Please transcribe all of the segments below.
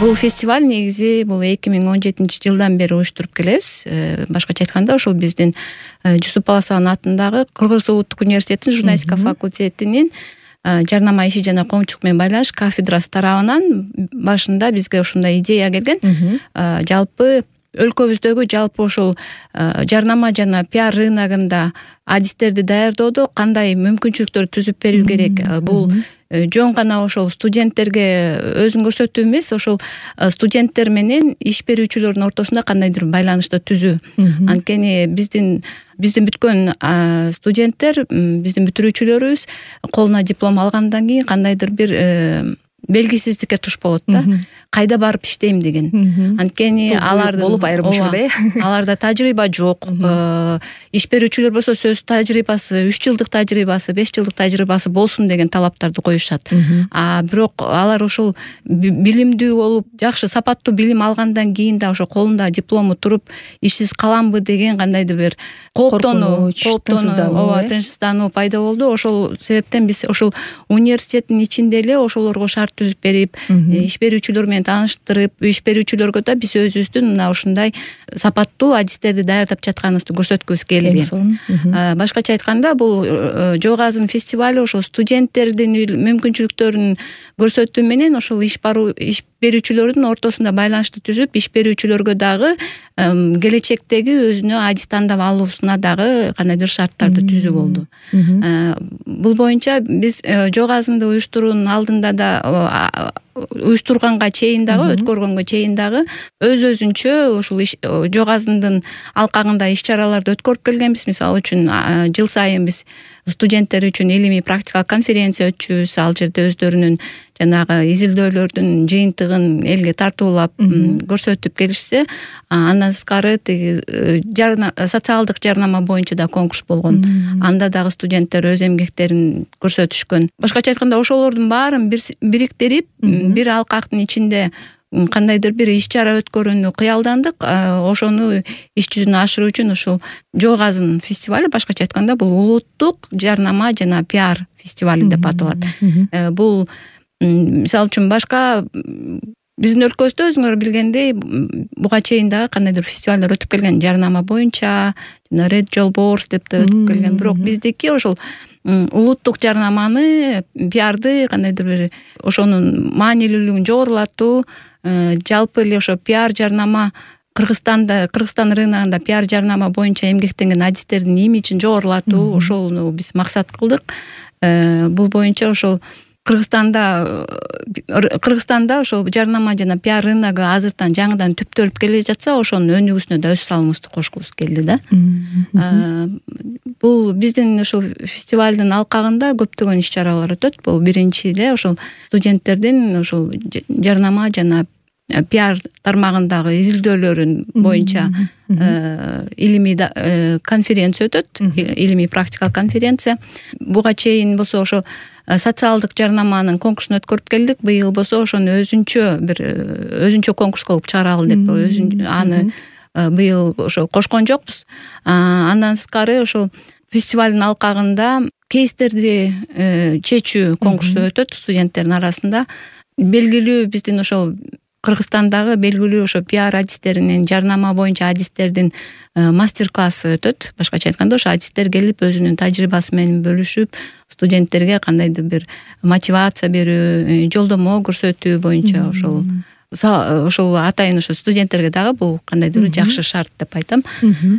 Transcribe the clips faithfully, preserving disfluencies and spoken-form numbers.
Бул фестиваль негизи бул эки миң он жетинчи жылдан бери уюштуруп келебиз. Башкача айтканда ошол биздин Жусуп Баласаган атындагы Кыргыз улуттук университетинин журналистика факультетинин жарнама иши жана коомчулук менен байланыш кафедрасы тарабынан башында бизге ушундай идея келген. Жалпы өлкөбүздөгү жалпы ошол жарнама жана пиар рыногунда адистерди даярдоодо кандай мүмкүнчүлүктөр түзүп берүү керек? Бул жөн гана ошол студенттерге өзүн көрсөтүү эмес, ошол студенттер менен иш берүүчүлөрдүн ортосунда кандайдыр ббайланышты түзүү. Анткени биздин биздин бүткөн студенттер, биздин бүтүрүүчүлөрүбүз колуна диплом алгандан кийин кандайдыр бир белгисиздикке туш болот да. Кайда барып иштейм деген. Анткени алардын болуп айрым учурда э аларда тажрыйба жок. Иш берүүчүлөр болсо сөз тажрыйбасы, үч жылдык тажрыйбасы, беш жылдык тажрыйбасы болсун деген талаптарды коюшат. А бирок алар ошол билимдүү болуп, жакшы сапаттуу билим алгандан кийин да ошо колунда диплому туруп, ишсиз каламбы деген кандайдыр бир кооптонуу, ооба, тынчсыздануу пайда болду. Ошол себептен биз ошол университеттин ичинде эле ошолорго шарт түзүп берип, иш берүүчүлөр менен тааныштырып, иш берүүчүлөргө да биз өзүбүздүн мына ушундай сапаттуу адистерди даярдап жатканыбызды көрсөткүбүз келди. Башкача айтканда, бул Жок Азын фестивалю ошол студенттердин мүмкүнчүлүктөрүн көрсөтүү менен ошол иш баруу иш берүүчүлөрдүн ортосунда байланышты түзүп, иш берүүчүлөргө дагы келечектеги өзүнө адис тандап алуусуна дагы кандайдыр шарттарды түзүү болду. Бул боюнча биз Жок Азынды уюштуруунун алдында да уюштурганга чейин дагы, өткөргөнгө чейин дагы өз өзүнчө ушул Жок Азындын алкагында иш-чараларды өткөрүп келгенбиз. Мисалы үчүн жыл сайын биз студенттер үчүн илимий практикалык конференция өтчүбүз. Ал жерде өздөрүнүн жанагы изилдөөлөрдүн жыйынтыгын элге тартуулап көрсөтүп келишсе, андан сырткары тиги социалдык жарнама боюнча да конкурс болгон. Анда дагы студенттер өз эмгектерин көрсөтүшкөн. Башкача айтканда, ошолордун баарын бириктирип, бир алкактын ичинде кандайдыр бир иш-чара өткөрүүнү кыялдандык. Ошону иш жүзүнө ашыруу үчүн ушул Жок Азын фестивалю, башкача айтканда, бул улуттук жарнама жана пиар фестивалю деп аталат. Бул мисалы үчүн башка биздин өлкөбүздө өзүңөр билгендей буга чейин дагы кандайдыр фестивалдар өтүп келген, жарнама боюнча, жана Red Jolbours деп да өтүп келген. Бирок биздики ошол улуттук жарнаманы, пиарды кандайдыр бир ошонун маанилүүлүгүн жогорулатуу, жалпы эле ошо пиар жарнама Кыргызстанда, Кыргызстан рыногунда пиар жарнама боюнча эмгектенген адистердин имиджин жогорулатуу, ошону биз максат кылдык. Бул боюнча ошол Кыргызстанда Кыргызстанда ошол жарнама жана пиар рыногу азыртан жаңыдан түптөлүп келе жатса, ошонун өнүгүүсүнө да өз салымыбызды кошкубуз келди да. Бул биздин ошол фестивалдын алкагында көптөгөн иш-чаралар өтөт. Бул биринчи эле ошол студенттердин ошол жарнама жана пиар тармагындагы изилдөөлөрүн боюнча илимий конференция өтөт, илимий практикалык конференция. Буга чейин болсо ошо социалдык жарнаманын конкурсун өткөрүп келдик. Быйыл болсо ошону өзүнчө бир өзүнчө конкурс кылып чыгаралы деп аны быйыл ошо кошкон жокпуз. Андан сырткары ошол фестивалдын алкагында кейстерди чечүү конкурсу өтөт студенттердин арасында. Белгилүү биздин ошол Кыргызстандагы белгилүү ошо пиар адистеринин, жарнама боюнча адистердин мастер-классы өтөт. Башкача айтканда, ошо адистер келип өзүнүн тажрыйбасы менен бөлүшүп, студенттерге кандайдыр бир мотивация берүү, жолдомо көрсөтүү боюнча ошол ошол атайын ошо студенттерге дагы бул кандайдыр бир жакшы шарт деп айтам.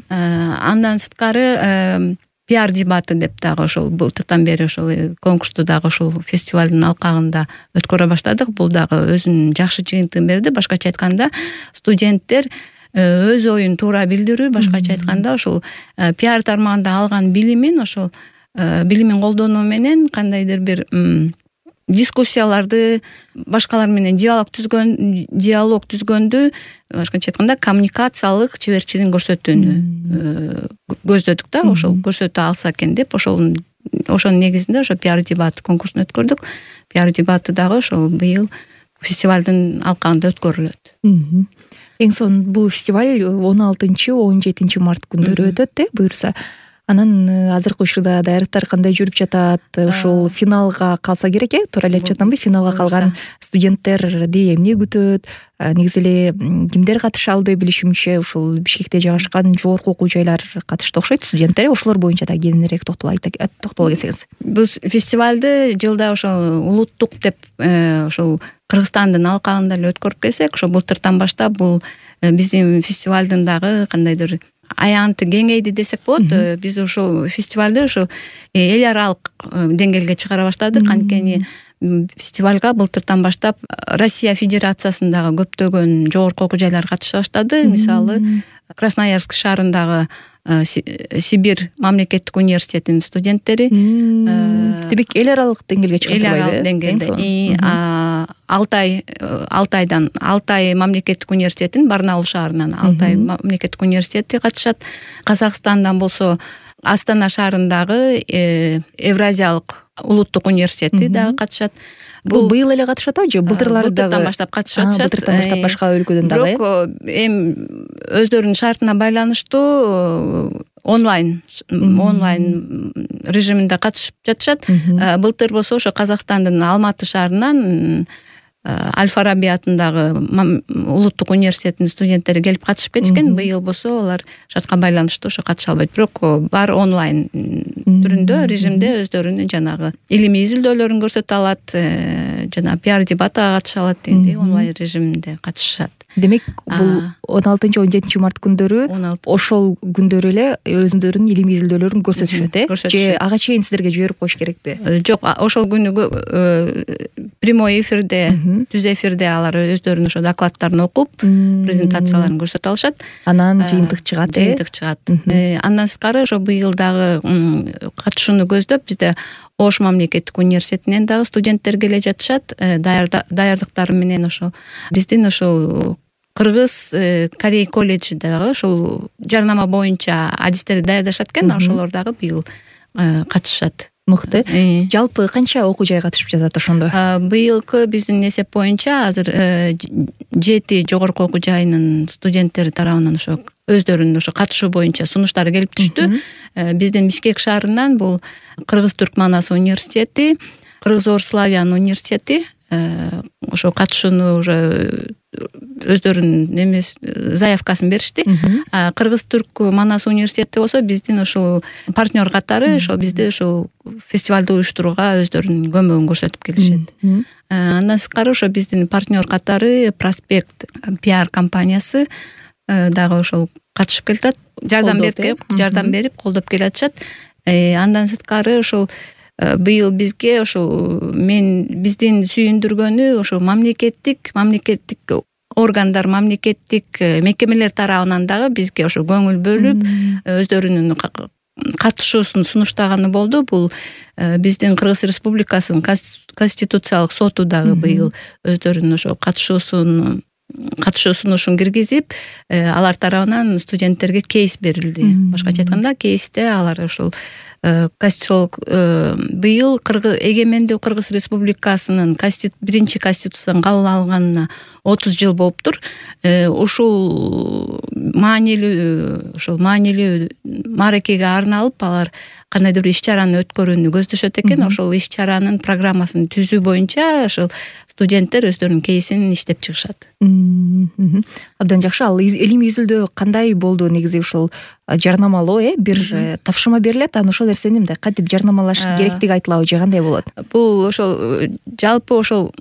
Андан сырткары пиар дебаты деп дагы ошол былтыртан бери ошол конкурсту дагы ошол фестивалдын алкагында өткөрө баштадык. Бул дагы өзүнүн жакшы жыйынтыгын берди. Башкача айтканда, студенттер өз оюн туура билдирүү, башкача айтканда ошол пиар тармагында алган билимин, ошол билимин колдонуу менен кандайдыр бир дискуссияларды башкалар менен диалог түзгөн, диалог түзгөндү, башкача айтканда коммуникациялык чеберчилигин көрсөтүүнү көздөдүк да. Ошол көрсөтө алса экен деп, ошол ошонун негизинде ошо пиар дебат конкурсун өткөрдүк. Пиар дебаты дагы ошол быйыл фестивалдын алкагында өткөрүлөт. Эң сонун бул фестиваль он алтынчы он жетинчи март күндөрү өтөт, э, буюрса. Анан азыркы учурда даярдыктар кандай жүрүп жатат? Ушул финалга калса керек, э? Туура эле айтып жатамбы? Финалга калган студенттерди эмне күтөт? Негизи эле кимдер катыша алды? Билишимче, ушул Бишкекте жайгашкан жогорку окуу жайлар катышты окшойт, студенттер. Ошолор боюнча да кененирээк токтоло токтоло кетсеңиз. Бул фестивалды жылда ошол улуттук деп ошол Кыргызстандын алкагында эле өткөрүп келсек, ошо былтыртан баштап бул биздин фестивалдын дагы кандайдыр аянты кеңейди десек болот. Биз ушул фестивалды ошо эл аралык деңгээлге чыгара баштадык. Анткени фестивалга былтыртан баштап Россия Федерациясындагы көптөгөн жогорку окуу жайлар катыша баштады. Мисалы, Красноярск шаарындагы Сибирь мамлекеттик университетинин студенттери. Демек эл аралык деңгээлге чыгып Эл аралык деңгээлде. Алтай Алтайдан Алтай мамлекеттик университетин Барнаул шаарынан Алтай мамлекеттик университети катышат. Казакстандан болсо Астана шаарындагы Евразиялык улуттук университети дагы катышат. Бул быйыл эле катышат же былтырлары дагы? Былтыртан баштап катышып атышат. Былтыртан баштап башка өлкөдөн дагы. Бирок эми өздөрүнүн шартына байланыштуу онлайн онлайн режиминде катышып жатышат. Былтыр болсо ошо Казакстандын Алматы шаарынан Аль-Фараби атындагы улуттук университетинин студенттери келип катышып кетишкен. Быйыл болсо алар шартка байланыштуу ошо катыша албайт. Бирок баары онлайн түрүндө, режимде өздөрүнүн жанагы илимий изилдөөлөрүн көрсөтө алат, жана пиар дебатка катыша алат дегендей онлайн режиминде катышышат. Демек, бул он алтынчы он жетинчи март күндөрү ошол күндөрү эле өзүндөрүнүн илимий изилдөөлөрүн көрсөтүшөт, э? Же ага чейин сиздерге жиберип коюш керекпи? Жок, ошол күнү прямой эфирде, түз эфирде алар өздөрүнүн ошо докладдарын окуп, презентацияларын көрсөтө алышат. Анан жыйынтык чыгат, э? Жыйынтык чыгат. Андан сырткары ошо быйыл дагы катышууну көздөп бизде Ош мамлекеттик университетинен дагы студенттер келе жатышат. Даярдыктары менен ошо биздин ошол Кыргыз Корей колледжи дагы ошол жарнама боюнча адистерди даярдашат экен. Ошолор дагы быйыл катышат. Мыкты. Жалпы канча окуу жай катышып жатат ошондо? Быйылкы биздин эсеп боюнча азыр жети жогорку окуу жайынын студенттери тарабынан ошо өздөрүнүн ошо катышуу боюнча сунуштары келип түштү. Биздин Бишкек шаарынан бул Кыргыз-Түрк Манас университети, Кыргыз-Орславян университети ошо катышууну уже өздөрүнүн эмес заявкасын беришти. Кыргыз-Түрк Манас университети болсо биздин ошол партнер катары ошол бизди ошол фестивалды уюштурууга өздөрүнүн көмөгүн көрсөтүп келишет. Андан сырткары ошо биздин партнер катары Проспект пиар компаниясы дагы ошол катышып келатат. Жардам берип, жардам берип, колдоп келатышат. Андан сырткары ошол быйыл бизге ошол мен биздин сүйүндүргөнү ошо мамлекеттик мамлекеттик органдар, мамлекеттик мекемелер тарабынан дагы бизге ошо көңүл бөлүп, өздөрүнүн катышуусун сунуштаганы болду. Бул биздин Кыргыз Республикасынын Конституциялык соту дагы быйыл өздөрүнүн ошо катышуусун катышуу сунушун киргизип, алар тарабынан студенттерге кейс берилди. Башкача айтканда, кейсте алар ошол конституциялык быйыл эгемендүү Кыргыз Республикасынын биринчи конституциясын кабыл алынганына отуз жыл болуптур. Ушул маанилүү ошол маанилүү мааракеге арналып алар кандайдыр бир иш-чараны өткөрүүнү көздөшөт экен. Ошол иш-чаранын программасын түзүү боюнча ошол студенттер өздөрүнүн кейсин иштеп чыгышат. Абдан жакшы. Ал илимий изилдөө кандай болду? Негизи ушул жарнамалоо, э, бир тапшырма берилет, анан ошол нерсени мындай кантип жарнамалаш керектиги айтылабы же кандай болот? Бул ошол жалпы ошол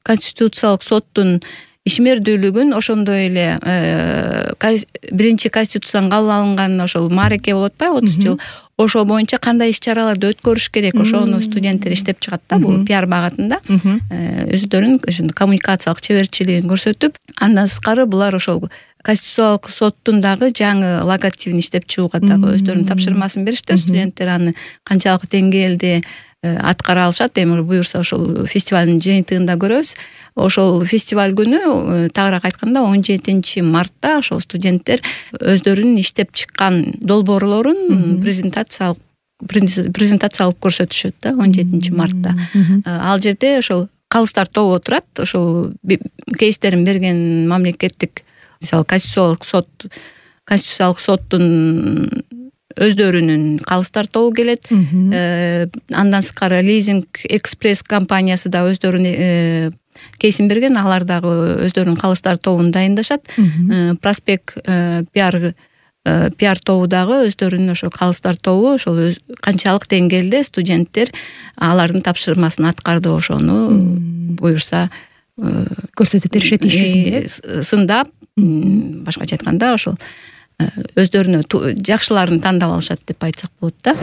Конституциялык соттун ишмердүүлүгүн, ошондой эле биринчи конституцияны кабыл алынганына ошол маареке болуп атпайбы, отуз жыл. Ошол боюнча кандай иш-чараларды өткөрүш керек, ошону студенттер иштеп чыгат да, бул пиар багытында. Өздөрүнүн коммуникациялык чеберчилигин көрсөтүп, андан сырткары булар ошол Конституциялык соттун дагы жаңы логотипин иштеп чыгууга дагы өздөрүнүн тапшырмасын беришти. Студенттер аны канчалык деңгээлде аткара алышат, эми буюрса ошол фестивалдын жыйынтыгында көрөбүз. Ошол фестиваль күнү, тагыраак айтканда, он жетинчи мартта ошол студенттер өздөрүнүн иштеп чыккан долбоорлорун презентациялык презентациялык көрсөтүшөт да, он жетинчи мартта. Ал жерде ошол калыстар тобу отурат, ошол кейстерин берген мамлекеттик, мисалы, Конституциялык сот Конституциялык соттун өздөрүнүн калыстар тобу келет. Андан сырткары лизинг экспресс компаниясы да өздөрүнүн кейсин берген, алар дагы өздөрүнүн калыстар тобун дайындашат. Проспект пиар пиар тобу дагы өздөрүнүн ошо калыстар тобу, ошол канчалык деңгээлде студенттер алардын тапшырмасын аткарды, ошону буюрса көрсөтүп беришет иш жүзүндө, сындап, башкача айтканда ошол өздөрүнө жакшыларын тандап алышат деп айтсак болот да.